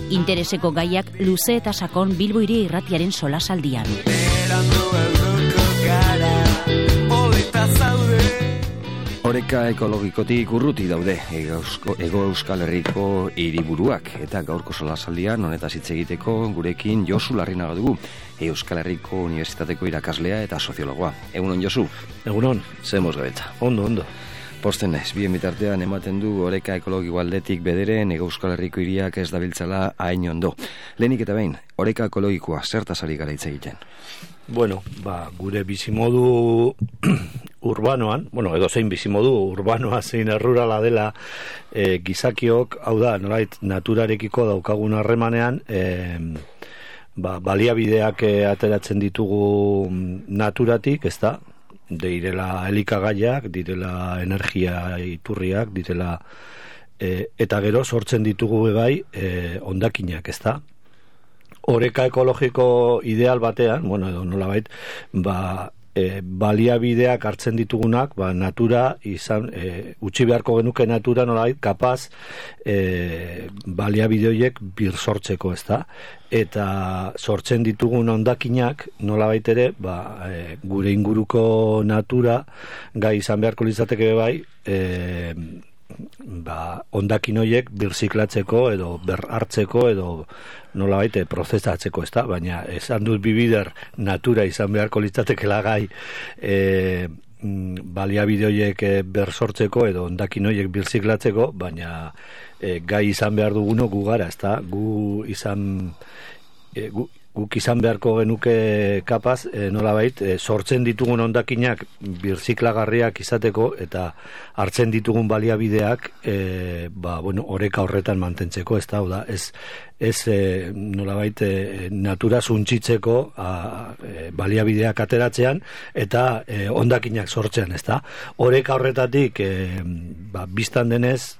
Intereseko gaiak luze eta sakon Bilbo Hiria Irratiaren solasaldian. Oreka ekologikotik urruti daude Hego Euskal Herriko hiriburuak, eta gaurko solasaldian honetaz hitz egiteko gurekin Josu Larrinaga dugu, Euskal Herriko Unibertsitateko irakaslea eta soziologoa. Egunon, Josu? Egunon. Zemoz gabetza. Ondo. Posten naiz, bien bitartean ematen du oreka ekologiko aldetik bederen Hego Euskal Herriko hiriak ez dabiltzala hain ondo. Lehenik eta behin, oreka ekologikoa zertaz ari gara hitz egiten? Bueno, gure bizimodu urbanoan, edozein bizimodu urbanoa zein rurala dela gizakiok, hau da, nolait naturarekiko daukagun harremanean, baliabideak ateratzen ditugu naturatik, ez da? Direla elikagaiak, direla energia iturriak, direla eta gero sortzen ditugu bai hondakinak, ez da? Oreka ekologiko ideal batean, edo nolabait, baliabideak hartzen ditugunak, natura izan, utzi beharko genuke natura nolabait, kapaz baliabide horiek bir sortzeko, ez da? Eta sortzen ditugun hondakinak nolabait ere, gure inguruko natura gai izan beharko litzateke bai, hondakin horiek birziklatzeko edo berhartzeko edo nolabait prozesatzeko, ez da? Baina esan dut bibider natura izan beharko litzatekela gai baliabide horiek bersortzeko edo hondakin horiek birziklatzeko, baina gai izan behar duguno gu gara, ez da? Guk izan beharko genuke kapaz, nolabait, sortzen ditugun hondakinak birziklagarriak izateko eta hartzen ditugun baliabideak oreka horretan mantentzeko, ez da, ez nolabait natura suntsitzeko baliabideak ateratzean eta hondakinak sortzean, ez da. Oreka horretatik biztan denez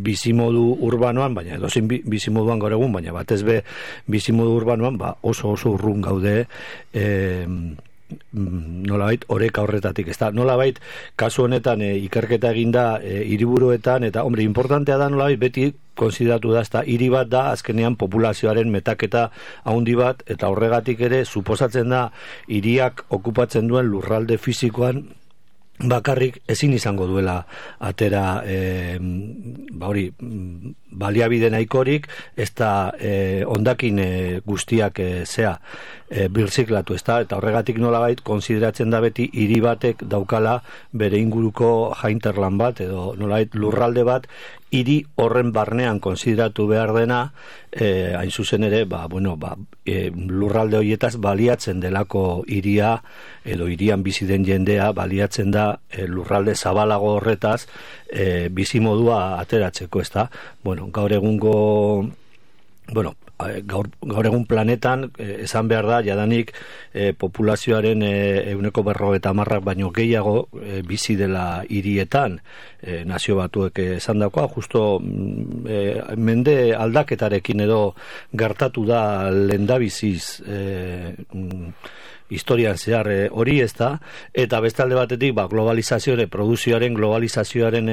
bizimodu urbanoan, baina edozein bizimoduan gaur egun, baina batez be bizimodu urbanoan oso urrun gaude nolabait oreka horretatik, ez da. Nolabait kasu honetan ikerketa eginda hiriburuetan eta importantea da nolabait beti konsideratu da, ez da, hiri bat da azkenean populazioaren metaketa handi bat, eta horregatik ere suposatzen da hiriak okupatzen duen lurralde fisikoan bakarrik ezin izango duela atera baliabide nahikorik, ez da hondakin guztiak birziklatu, ez da, eta horregatik nolabait konsideratzen da beti hiri batek daukala bere inguruko jainterlan bat edo nolabait lurralde bat hiri horren barnean konsideratu behar dena, hain zuzen ere, lurralde horietaz baliatzen delako hiria edo hirian bizi den jendea baliatzen da lurralde zabalago horretaz bizimodua ateratzeko, ez da? Gaur egun planetan esan behar da jadanik populazioaren 90% baino gehiago bizi dela hirietan, nazio batuek esan dakoa, justo mende aldaketarekin edo gertatu da lehendabiziz historian zehar hori, ez da, eta bestalde batetik produzioaren globalizazioaren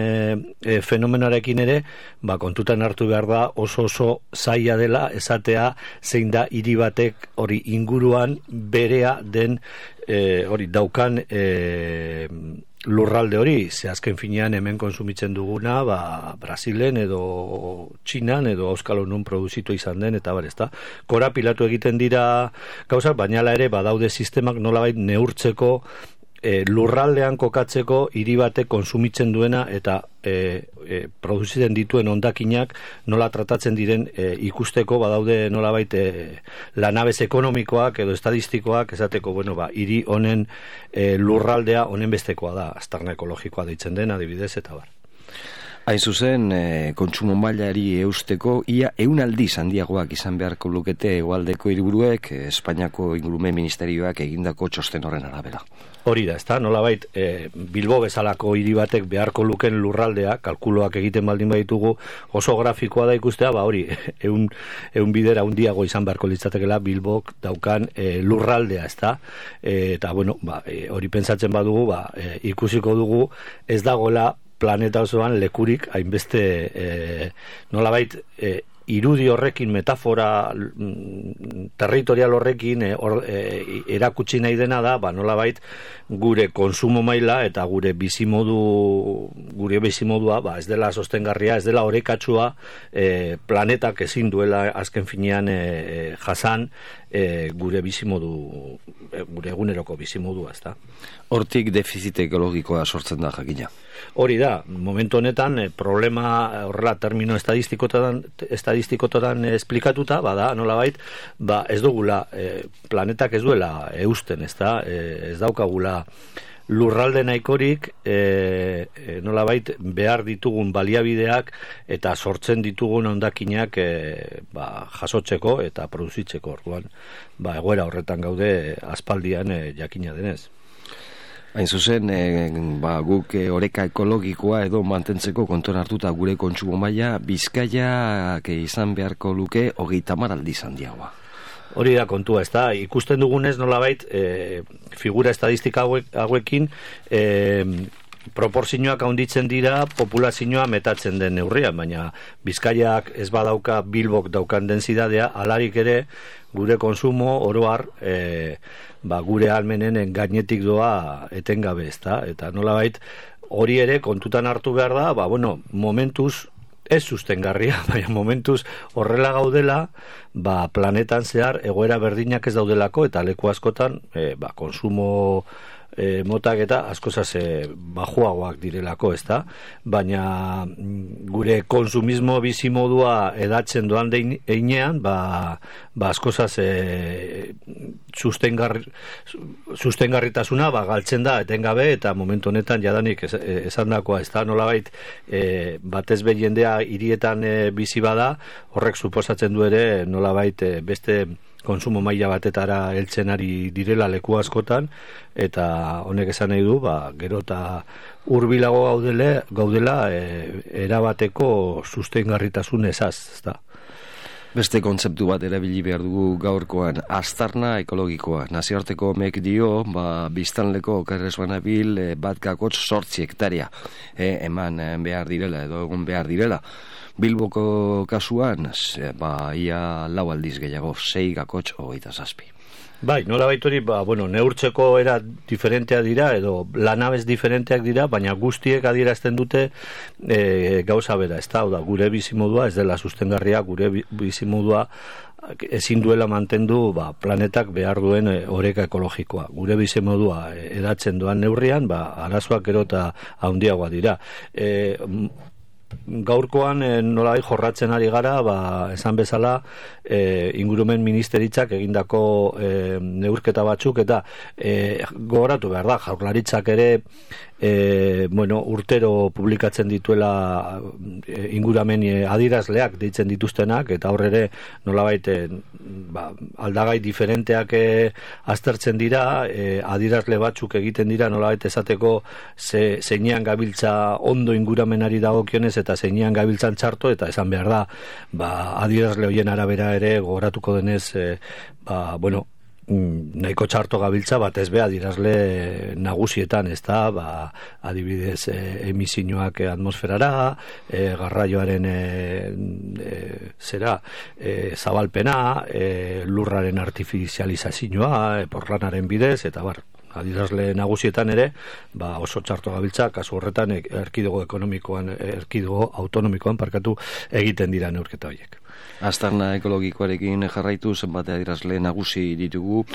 fenomenoarekin ere kontutan hartu behar da oso zaila dela esatea zein da hiri batek hori inguruan berea den hori daukan lurralde hori, ze azken finean hemen konsumitzen duguna, Brasilen edo Txinan edo auskalo non produzitu izan den, eta bar, ezta. Korapilatu egiten dira gauzak, baina ere badaude sistemak nolabait neurtzeko lurraldean kokatzeko hiri batek konsumitzen duena eta produzitzen dituen hondakinak nola tratatzen diren ikusteko badaude nolabait lanabez ekonomikoak edo estadistikoak esateko, hiri honen lurraldea honen bestekoa da, aztarna ekologikoa deitzen den adibidez eta bar. Hain zuzen, kontsumo mailari eusteko ia 100 aldiz handiagoak izan beharko lukete hegoaldeko hiriburuek Espainiako Ingurumen Ministerioak egindako txosten horren arabera. Hori da, ezta? Nolabait, Bilbo bezalako hiri batek beharko luken lurraldea, kalkuloak egiten baldin baditugu, oso grafikoa da ikustea, hori, 100 bidera handiago izan beharko litzatekeela Bilbok daukan lurraldea, ezta? Eta, hori pentsatzen badugu, ikusiko dugu, ez dagoela planeta osoan lekurik hainbeste nolabait irudi horrekin, metafora territorial horrekin erakutsi nahi dena da, nolabait gure konsumo maila eta gure bizimodua ez dela sostengarria, ez dela orekatsua, planetak ezin duela azken finean jasan gure bizimodu, gure eguneroko bizimodua, ezta? Hortik defizit ekologikoa sortzen da jakina. Hori da, momentu honetan problema horrela termino estadistikotan esplikatuta, bada, nolabait, ez dugula, planetak ez duela eusten, ez daukagula lurralde nahikorik, nolabait behar ditugun baliabideak eta sortzen ditugun hondakinak jasotzeko eta produzitzeko. Orduan, egoera horretan gaude aspaldian jakina denez. Hain zuzen, guk oreka ekologikoa edo mantentzeko kontuan hartuta gure kontsumo maila Bizkaiak izan beharko luke 30 aldiz handiagoa. Hori da kontua, ez da, ikusten dugunez nolabait figura estadistika hauekin proporzioak handitzen dira populazioa metatzen den neurrian, baina Bizkaiak ez badauka Bilbok daukan densitatea, alarik ere gure konsumo oroar gure almenen gainetik doa etengabe, ezta? Eta nolabait hori ere kontutan hartu behar da, momentuz ez sustengarria, baina momentuz horrela gaudela, planetan zehar egoera berdinak ez daudelako eta leku askotan konsumo motak eta askozaz bajuagoak direlako, ezta? Baina gure konsumismo bizimodua edatzen doan einean, askozaz sustengarritasuna galtzen da etengabe eta momentu honetan jadanik esandakoa, ezta? Nolabait batez be jendea hirietan bizi bada, horrek suposatzen du ere nolabait beste konsumo maila batetara heltzen ari direla leku askotan, eta honek esan nahi du, gero eta hurbilago gaudela erabateko sustengarritasun ezaz, ezta? Beste kontzeptu bat erabili behar dugu gaurkoan, aztarna ekologikoa. Nazioarteko mek dio, biztanleko okerrez banabil 1,8 hektaria eman behar direla, edo egon behar direla. Bilboko kasuan, ia 4 aldiz gehiago, 6,27. Bai, nola baitori, neurtzeko era diferenteak dira, edo lanabez diferenteak dira, baina guztiek adierazten dute gauza bera, ez da, gure bizimodua, ez dela sustengarria, gure bizimodua ezin duela mantendu planetak behar duen oreka ekologikoa. Gure bizimodua edatzen doan neurrian, arazoak gero eta handiagoa dira. Gaurkoan nolai jorratzen ari gara, esan bezala ingurumen ministeritzak egindako neurketa batzuk, eta gogoratu behar da, jaurlaritzak ere urtero publikatzen dituela inguramen adierazleak deitzen dituztenak, eta hor ere nolabait aldagai diferenteak aztertzen dira, adierazle batzuk egiten dira nolabait esateko zeinean gabiltza ondo inguramenari dagokionez eta zeinean gabiltzan txarto, eta esan behar da adierazle hoien arabera ere gogoratuko denez nahiko txarto gabiltza batez be adierazle nagusietan, ez da, adibidez emisioak atmosferara, garraioaren zabalpena, lurraren artifizializazioa, porlanaren bidez, eta adierazle nagusietan ere, oso txarto gabiltza, kasu horretan erkidego autonomikoan egiten dira neurketa horiek. Aztarna ekologikoarekin jarraitu zenbate adierazle nagusi ditugu,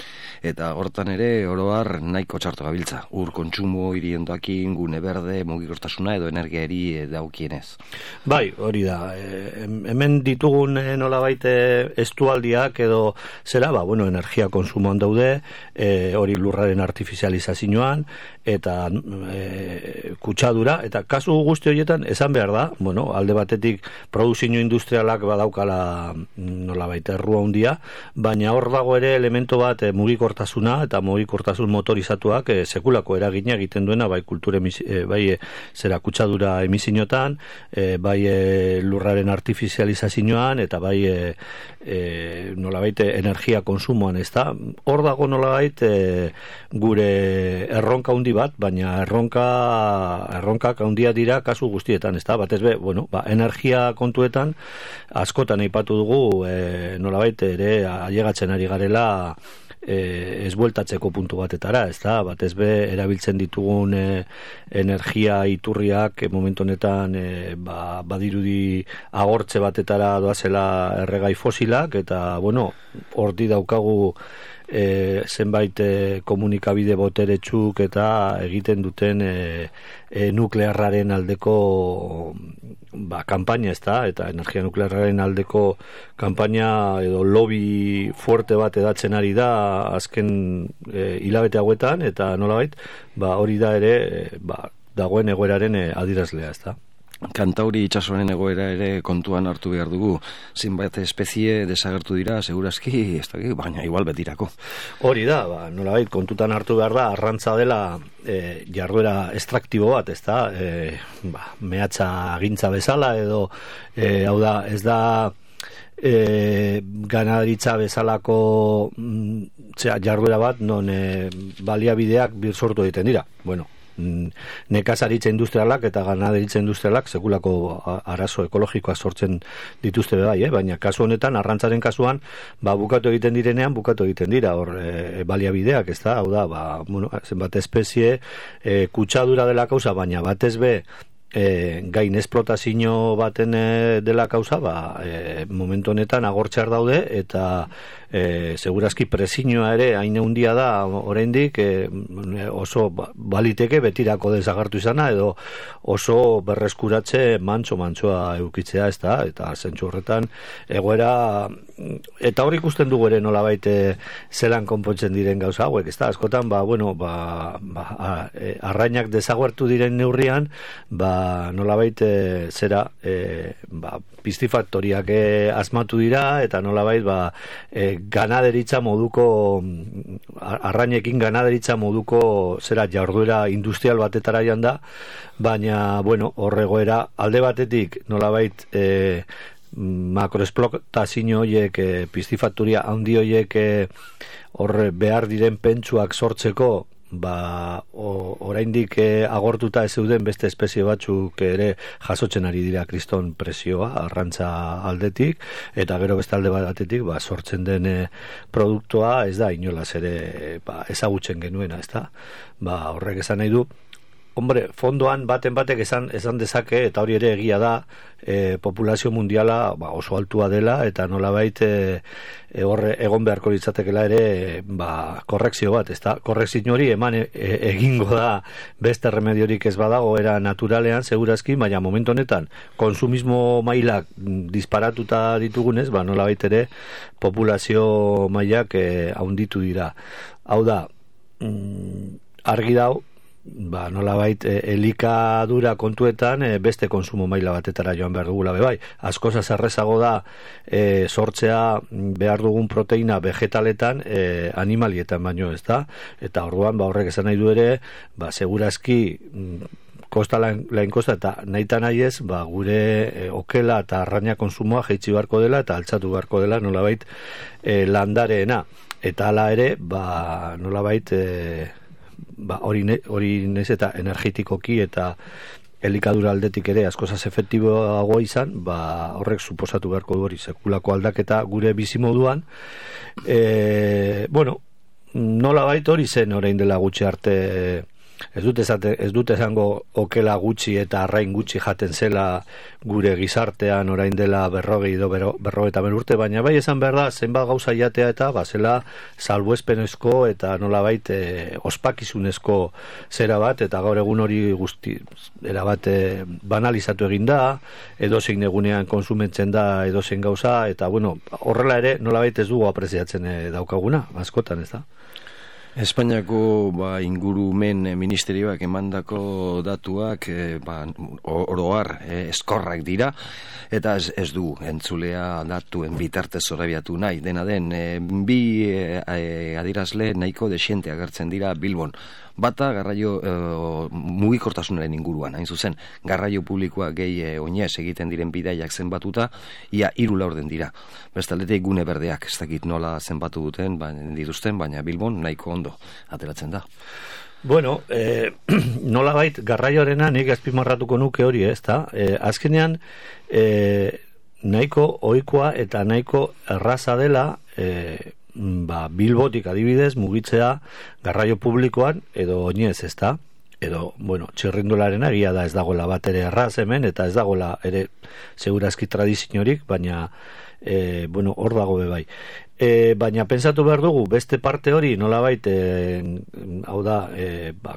eta hortan ere oroar nahiko txarto gabiltza. Ur kontsumo, hiriendoakin, gune berde, mugikortasuna edo energiari daukienez. Bai, hori da. Hemen ditugun nolabait estualdiak edo zera, energia konsumoan daude, hori lurraren artifizializazioa artifizializazioan eta kutsadura, eta kasu guzti horietan esan behar da, bueno, alde batetik produzio industrialak badaukala nolabait errua handia, baina hor dago ere elemento bat mugikortasuna eta mugikortasun motorizatuak sekulako eragina egiten duena bai kultura bai zera kutsadura emisioetan, bai lurraren artifizializazioan eta bai nolabait energia konsumoan, ezta? Hor dago nolabait gure erronka handi bat, baina erronkak handia dira kasu guztietan, ezta? Batez be, bueno, energia kontuetan askotan aipatu dugu nolabait ere ailegatzen ari garela ez bueltatzeko puntu batetara, ezta? Batez be erabiltzen ditugun energia iturriak momentu honetan badirudi agortze batetara doazela erregai fosilak, eta bueno, horti daukagu zenbait komunikabide boteretsuk eta egiten duten nuklearraren aldeko kanpaina, ezta? Eta energia nuklearraren aldeko kanpaina edo lobby fuerte bat edatzen ari da azken hilabete hauetan, eta nolabait hori da ere dagoen egoeraren adierazlea, ezta? Kantauri itsasoaren egoera ere kontuan hartu behar dugu. Zenbait espezie desagertu dira, segurazki, ez dakit, baina igual betirako. Hori da, nolabait kontutan hartu behar da, arrantza dela jarduera estraktibo bat, ez da, mehatza agintza bezala, edo, hau da, ez da, ganaderitza bezalako jarduera bat, non baliabideak birsortu egiten dira. Bueno, nekazaritza industrialak eta ganaderitza industrialak sekulako arazo ekologikoak sortzen dituzte bai, baina kasu honetan, arrantzaren kasuan, bukatu egiten direnean, bukatu egiten dira, hor baliabideak, ez da, hau da, bueno, zenbat espezie kutsadura dela kausa, baina batez be, gain esplotazio baten dela kausa, momentu honetan agortxar daude, eta segurazki prezioa ere hain handia da oraindik, oso baliteke betirako desagertu izana, edo oso berreskuratze mantsoa eukitzea, ez da, eta zentzu horretan egoera, eta hor ikusten dugu ere nolabait zelan konpontzen diren gauza hauek, ez da, askotan, arrainak desagertu diren neurrian, nolabait zera pistifaktoriak asmatu dira, eta nolabait ganaderitza moduko arrainekin ganaderitza moduko zera jarduera industrial batetara joan da, baina bueno, horregoera alde batetik nolabait makroesplotazio horiek pistifaktoria handi horiek horre behar diren pentsuak sortzeko oraindik agortuta ez zeuden beste espezie batzuk ere jasotzen ari dira kriston presioa arrantza aldetik, eta gero beste alde batetik sortzen den produktua ez da inolaz ere ezagutzen genuena, ez da? Horrek esan nahi du, hombre, fondoan baten batek esan dezake, eta hori ere egia da, populazio mundiala oso altua dela, eta nolabait horre egon beharko litzatekela ere korrekzio bat, ez da? Korrekzio hori eman egingo da beste remediorik ez badago era naturalean, segurazki, baina momentu honetan konsumismo mailak disparatuta ditugunez, nolabait ere populazio mailak haunditu dira. Hau da, argi dau, nolabait elikadura kontuetan beste konsumo maila batetara joan behar dugula bai. Askoz errezago da sortzea behar dugun proteina vegetaletan animalietan baino, ez da? Eta orduan horrek esan nahi du ere, segurazki kosta lain kosta, eta nahita nahi ez, gure okela eta arraina konsumoa jaitsi beharko dela eta altzatu beharko dela nolabait landareena. Eta hala ere, nolabait hori nez eta energetikoki eta elikadura aldetik ere askozaz efektiboago izan, horrek suposatu beharko du hori sekulako aldaketa gure bizimoduan. Bueno, nolabait hori zen orain dela gutxi arte, ez dut esango okela gutxi eta arrain gutxi jaten zela gure gizartean orain dela 50 urte, baina bai esan behar da zenbat gauza jatea eta zela salbuespenezko eta nolabait ospakizunezko zera bat, eta gaur egun hori guzti erabat banalizatu egin da, edozein egunean konsumentzen da edozein gauza, eta bueno, horrela ere nolabait ez dugu apreziatzen daukaguna, askotan, ez da? Espainiako ingurumen ministerioak emandako datuak oroar eskorrak dira, eta ez du entzulea datuen bitartez zorabiatu nahi. Dena den, bi adierazle nahiko desiente agertzen dira Bilbon. Bata garraio mugikortasunaren inguruan, hain zuzen, garraio publikoa gehi oinez egiten diren bidaiak zenbatuta, ia 3 laurden dira. Bestaldetik gune berdeak, ez dakit nola zenbatu duten, dituzten, baina Bilbon nahiko ondo ateratzen da. Bueno, nolabait garraioarena nik azpimarratuko nuke hori, ezta? Azkenean nahiko ohikoa eta nahiko erraza dela Bilbotik adibidez mugitzea garraio publikoan edo oinez, ezta? Edo, txirrindularena egia da ez dagoela bat ere erraz hemen, eta ez dagoela ere segurazki tradiziorik, baina hor dago bai. Baina pentsatu behar dugu, beste parte hori nolabait, hau da,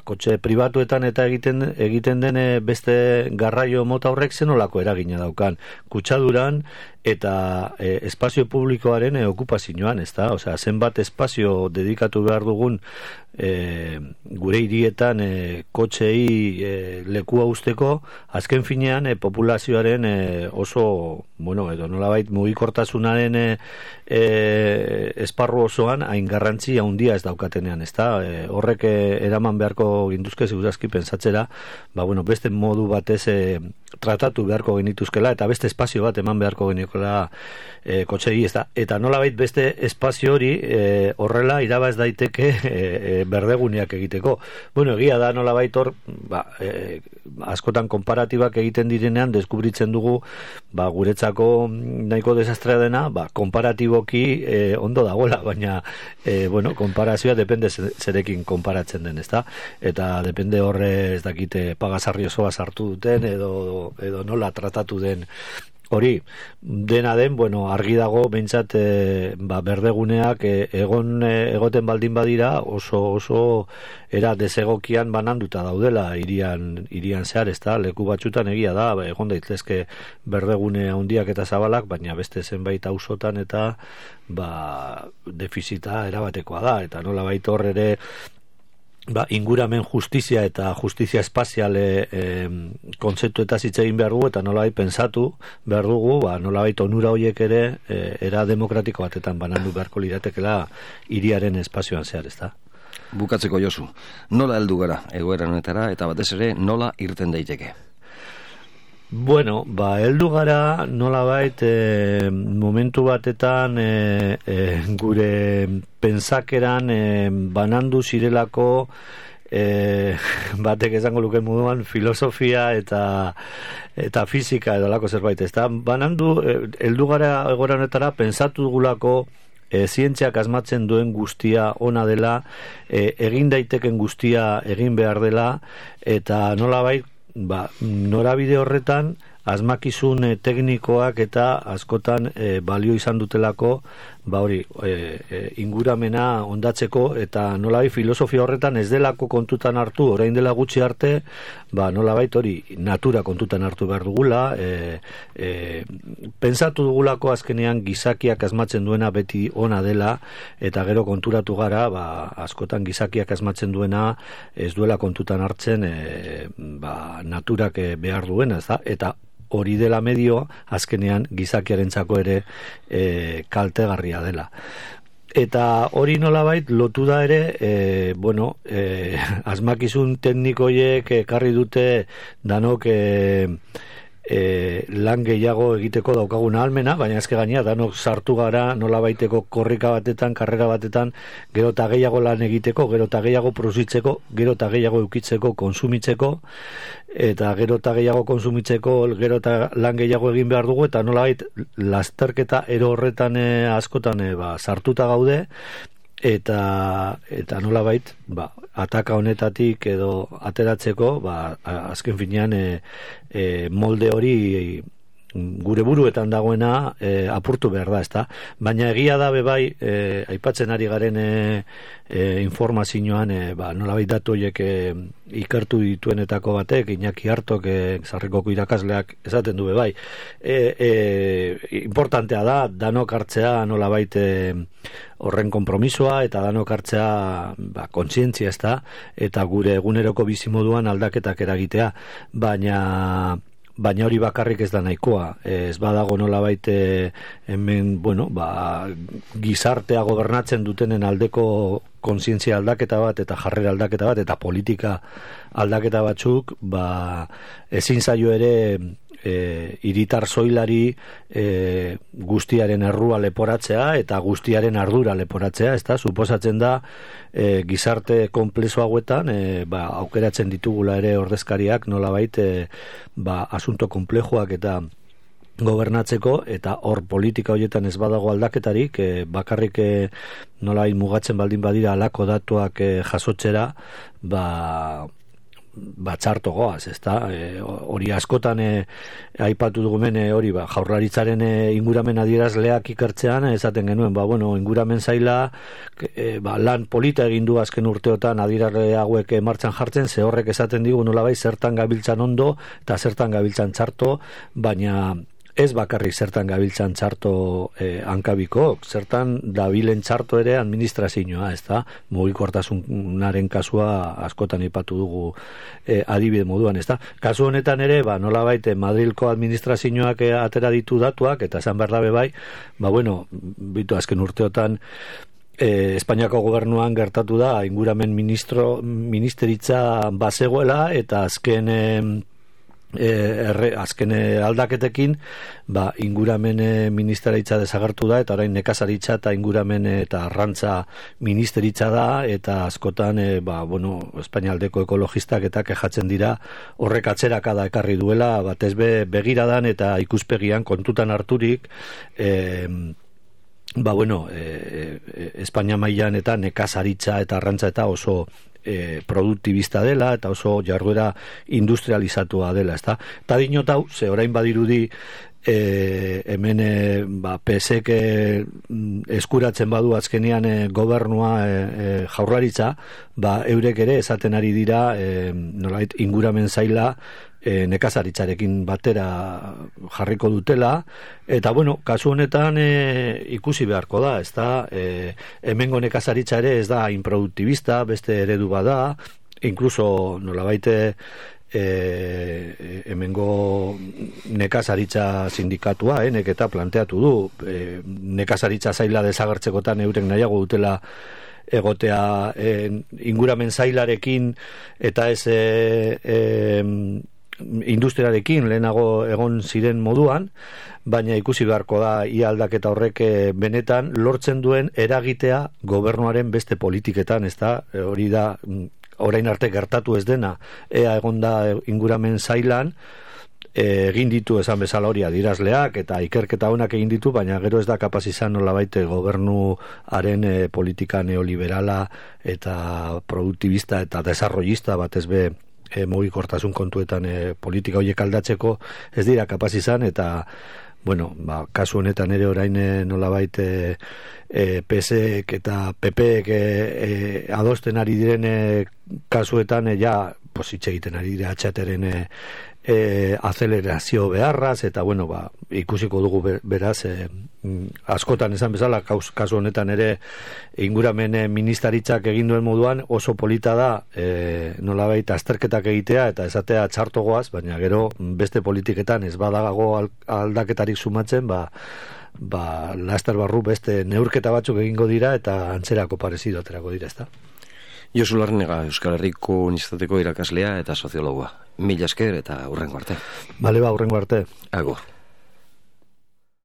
kotxe pribatuetan eta egiten den beste garraio mota horrek zenolako eragina daukan. Kutsaduran eta espazio publikoaren okupazioan, ezta? Osea, zenbat espazio dedikatu behar dugun gure hirietan kotxei lekua usteko, azken finean populazioaren oso, edo nolabait mugikortasunaren esparru osoan hain garrantzi handia ez daukatenean, ezta? Horrek eraman beharko ginduzke segurazki pentsatzera, beste modu batez tratatu beharko genituzkela eta beste espazio bat eman beharko genikola kotxei, ezta? Eta nolabait beste espazio hori horrela irabaz daiteke berdeguneak egiteko. Egia da nolabait hor askotan konparatibak egiten direnean deskubritzen dugu guretzako nahiko desastrea dena, konparatiboki ondo dagoela, baina konparazioa depende zerekin konparatzen den, ezta? Eta depende horre ez dakite pagasarri osoa sartu duten edo nola tratatu den hori. Dena den, argi dago behintzat berdeguneak egoten baldin badira oso era desegokian bananduta daudela hirian zehar, ezta? Leku batzutan egia da, egon daitezke berdegune handiak eta zabalak, baina beste zenbait auzotan eta defizita erabatekoa da, eta nolabait hor ere inguramen justizia eta justizia espazial kontzeptu eta hitz egin behar dugu, eta nolabait pensatu behar dugu, nolabait onura horiek ere era demokratiko batetan banandu beharko liratekela hiriaren espazioan zehar, ezta? Bukatzeko, Josu, nola heldu gara egoera honetara eta batez ere nola irten daiteke? Heldu gara nolabait momentu batetan gure pentsakeran banandu zirelako batek esango luke moduan filosofia eta fizika edo lako zerbait, ezta? Banandu heldu gara egoera honetara pentsatu dugulako zientziak asmatzen duen guztia ona dela, egin daiteken guztia egin behar dela, eta nolabait norabide horretan asmakizun teknikoak eta askotan balio izan dutelako inguramena ondatzeko, eta nolabait filosofia horretan ez delako kontutan hartu, orain dela gutxi arte, nolabait hori natura kontutan hartu behar dugula, pentsatu dugulako azkenean gizakiak asmatzen duena beti ona dela, eta gero konturatu gara, askotan gizakiak asmatzen duena ez duela kontutan hartzen naturak behar duena, eta hori dela medio azkenean gizakiarentzako ere kaltegarria dela. Eta hori nolabait lotu da ere, asmakizun teknikoiek ekarri dute danok lan gehiago egiteko daukagun ahalmena, baina ezke gainera danok sartu gara nolabaiteko korrika batetan, karrera batetan, gero eta gehiago lan egiteko, gero eta gehiago produzitzeko, gero eta gehiago eukitzeko, konsumitzeko, eta gero eta gehiago konsumitzeko, gero eta lan gehiago egin behar dugu, eta nolabait lasterketa ero horretan askotan sartuta gaude, eta nolabait ataka honetatik edo ateratzeko azken finean molde hori gure buruetan dagoena apurtu behar da, ezta? Baina egia da bai, aipatzen ari garen informazioan, nolabait datu horiek ikertu dituenetako batek, Iñaki Hartok, Sarrikoko irakasleak esaten du bai. Importantea da, danok hartzea nolabait horren konpromisoa, eta danok hartzea kontzientzia, ezta? Eta gure eguneroko bizimoduan aldaketak eragitea, baina hori bakarrik ez da nahikoa. Ez badago nolabait hemen, gizartea gobernatzen dutenen aldeko kontzientzia aldaketa bat, eta jarrera aldaketa bat, eta politika aldaketa batzuk, ezin zaio ere hiritar soilari guztiaren errua leporatzea eta guztiaren ardura leporatzea, ezta? Suposatzen da gizarte konplexu hauetan aukeratzen ditugula ere ordezkariak nolabait asunto konplexuak eta gobernatzeko, eta hor politika horietan ez badago aldaketarik, bakarrik nolabait mugatzen baldin badira halako datuak jasotzera, txarto goaz, ezta? Hori askotan aipatu dugumen hori Jaurlaritzaren inguramen adierazleak ikertzean esaten genuen, inguramen zaila lan polita egin du azken urteotan adierazle hauek martxan jartzen, ze horrek esaten digu nolabait zertan gabiltzan ondo eta zertan gabiltzan txarto, baina ez bakarrik zertan gabiltzan txarto hankabiko, zertan dabilen txarto ere administrazioa, ezta? Mugikortasunaren kasua askotan aipatu dugu adibide moduan, ezta? Kasu honetan ere, nolabait Madrilko administrazioak atera ditu datuak, eta esan behar dabe bai, bitu azken urteotan Espainiako gobernuan gertatu da inguramen ministeritza bazegoela, eta azken aldaketekin inguramen ministeritza desagertu da, eta orain nekazaritza eta inguramen eta arrantza ministeritza da, eta askotan Espainialdeko ekologistak eta kejatzen dira horrek atzerakada ekarri duela, batez begiradan eta ikuspegian kontutan harturik Espainia mailan eta nekazaritza eta arrantza eta oso produktibista dela, eta oso jarduera industrializatua dela, ezta? Eta dinotau, ze orain badirudi hemen PSek eskuratzen badu azkenean gobernua Jaurlaritza, eurek ere esaten ari dira nolait inguramen zaila nekazaritzarekin batera jarriko dutela, eta kasu honetan ikusi beharko da, ezta? Hemengo nekazaritza ere ez da inproduktibista, beste eredu bada, inkluso nolabait hemengo nekazaritza sindikatua, neketa planteatu du, nekazaritza zaila desagertzekotan eurek nahiago dutela egotea inguramen zailarekin eta ez industriarekin lehenago egon ziren moduan, baina ikusi beharko da ia aldaketa horrek benetan lortzen duen eragitea gobernuaren beste politiketan, ezta? Hori da orain arte gertatu ez dena, ea egonda inguramen zailan, egin ditu esan bezala hori adierazleak eta ikerketa honak egin ditu, baina gero ez da kapaz izan nolabait gobernuaren politika neoliberala eta produktibista eta desarrollista batez mugikortasun kontuetan politika horiek aldatzeko ez dira kapaz izan, eta kasu honetan ere orain nolabait PSek eta PPek adosten ari diren kasuetan hitz egiten ari dira atxateren azelerazio beharraz, eta ikusiko dugu beraz askotan esan bezala kasu honetan ere inguramen ministaritzak egin duen moduan oso polita da nolabait azterketak egitea eta esatea txartogoaz, baina gero beste politiketan ez badago aldaketarik sumatzen, laster barru beste neurketa batzuk egingo dira eta antzerako parezido aterako dira, ezta? Josu Larrinaga, Euskal Herriko Unibertsitateko irakaslea eta soziologoa. Mila esker eta hurrengo arte. Bale, hurrengo arte. Agur.